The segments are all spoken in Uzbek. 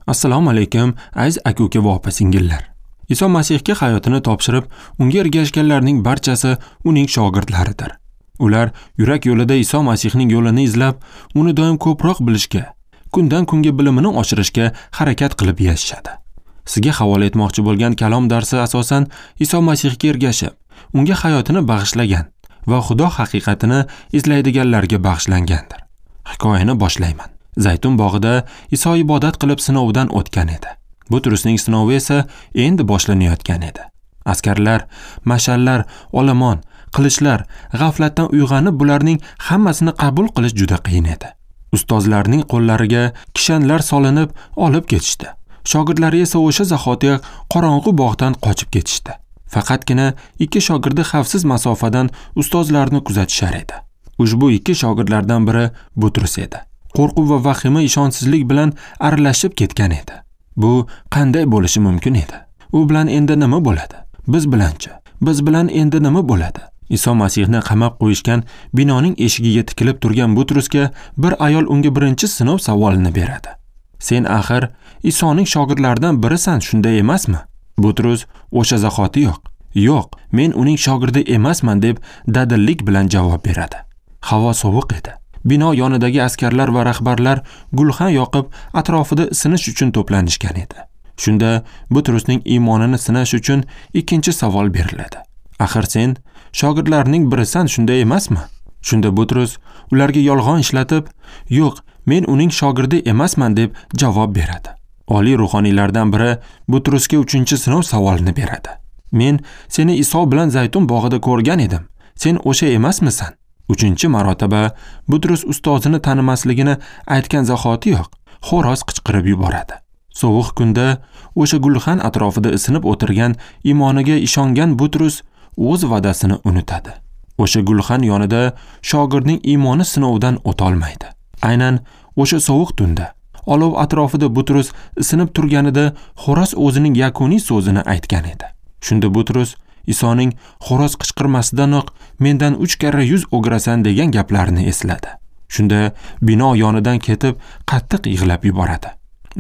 Assalomu alaykum, aziz aka-uka va opa-singillar. Iso Masihga hayotini topshirib, unga ergashganlarning barchasi uning shogirdlaridir. Ular yurak yo'lida Iso Masihning yo'lini izlab, uni doim ko'proq bilishga, kundan kunga bilimini oshirishga harakat qilib yashashadi. Sizga havola etmoqchi bo'lgan kalom darsi asosan Iso Masihga ergashib, unga hayotini bag'ishlagan va Xudo haqiqatini izlaydiganlarga bag'ishlangandir. Hikoyani boshlayman. Zaytun bog'ida Iso ibodat qilib sinovdan o'tgan edi. Butrusning sinovi esa endi boshlanayotgan edi. Askarlar, mashallar, olomon, qilichlar g'aflatdan uyg'onib bularning hammasini qabul qilish juda qiyin edi. Ustozlarning qo'llariga kishanlar solinib olib ketishdi. Shogirdlari esa o'sha zahoti qorong'u bog'dan qochib ketishdi. Faqatgina ikki shogirdi xavfsiz masofadan ustozlarni kuzatishar edi. Ushbu ikki shogirdlardan biri Butrus edi. Qo'rquv va vahima ishonchsizlik bilan aralashib ketgan edi. Bu qanday bo'lishi mumkin edi? U bilan endi nima bo'ladi? Biz bilanchi? Biz bilan endi nima bo'ladi? Iso Masihni qamab qo'yishgan binoning eshigiga tikilib turgan Butrusga bir ayol unga birinchi sinov savolini beradi. Sen axir Isoning shogirdlaridan birisan, shunday emasmi? Butrus o'sha zahoti yo'q. Yo'q, men uning shogirdi emasman deb dadillik bilan javob beradi. Havo sovuq edi. Bino yonidagi askarlar va rahbarlar gulxan yoqib, atrofida isinish uchun to'planishgan edi. Shunda Butrusning iymonini sinash uchun ikkinchi savol beriladi. Axir sen shogirdlarning birisan, shunday emasmi? Shunda Butrus ularga yolg'on ishlatib, yo'q, men uning shogirdi emasman deb javob beradi. Oliy ruhoniylardan biri Butrusga uchinchi sinov savolini beradi. Men seni Iso bilan Zaytun bog'ida ko'rgan edim. Sen o'sha emasmisan? Uchinchi marotaba Butrus ustozini tanimasligini aytgan zahoti yo'q, xo'roz qichqirib yuboradi. Sovuq kunda o'sha gulxan atrofida isinib o'tirgan iymoniga ishongan Butrus o'z va'dasini unutadi. O'sha gulxan yonida shogirdning iymoni sinovdan o'tolmaydi. Aynan o'sha sovuq tunda olov atrofida Butrus isinib turganida xo'roz o'zining yakuniy so'zini aytgan edi. Shunda Butrus Isoning xo'roz qichqirmasidanoq mendan 3 karra yuz o'girasan degan gaplarini esladi. Shunda bino yonidan ketib qattiq yig'lab yuboradi.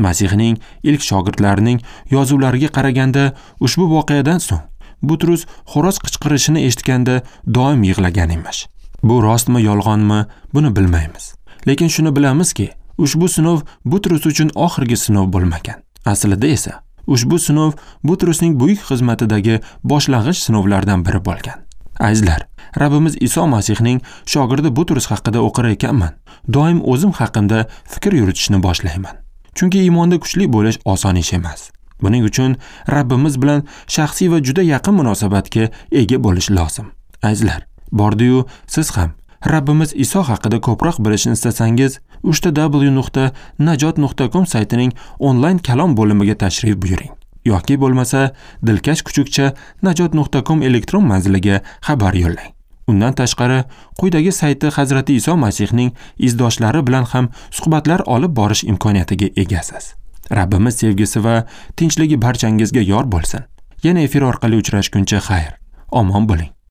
Masihning ilk shogirdlarining yozuvlariga qaraganda ushbu voqeadan so'ng Butrus xo'roz qichqirishini eshitganda doim yig'lagan emish. Bu rostmi, yolg'onmi, buni bilmaymiz. Lekin shuni bilamizki, ushbu sinov Butrus uchun oxirgi sinov bo'lmagan. Aslida esa ushbu sinov Butrusning buyuk xizmatidagi boshlang'ich sinovlardan biri bo'lgan. Azizlar, Rabbimiz Iso Masihning shogirdi Butrus haqida o'qir ekanman, doim o'zim haqimda fikr yuritishni boshlayman. Chunki iymonda kuchli bo'lish oson ish emas. Buning uchun Rabbimiz bilan shaxsiy va juda yaqin munosabatga ega bo'lish lozim. Azizlar, bordi-yu siz ham Rabbimiz Iso haqida ko'proq bilishni istasangiz, www.najot.com saytining onlayn kalom bo'limiga tashrif buyuring yoki bo'lmasa dilkash@najot.com elektron manziliga xabar yo'llang. Undan tashqari, quyidagi sayti Hazrati Iso Masihning izdoshlari bilan ham suhbatlar olib borish imkoniyatiga egasiz. Rabbimiz sevgisi va tinchligi barchangizga yor bo'lsin. Yana efir orqali uchrashguncha xayr. Omon bo'ling.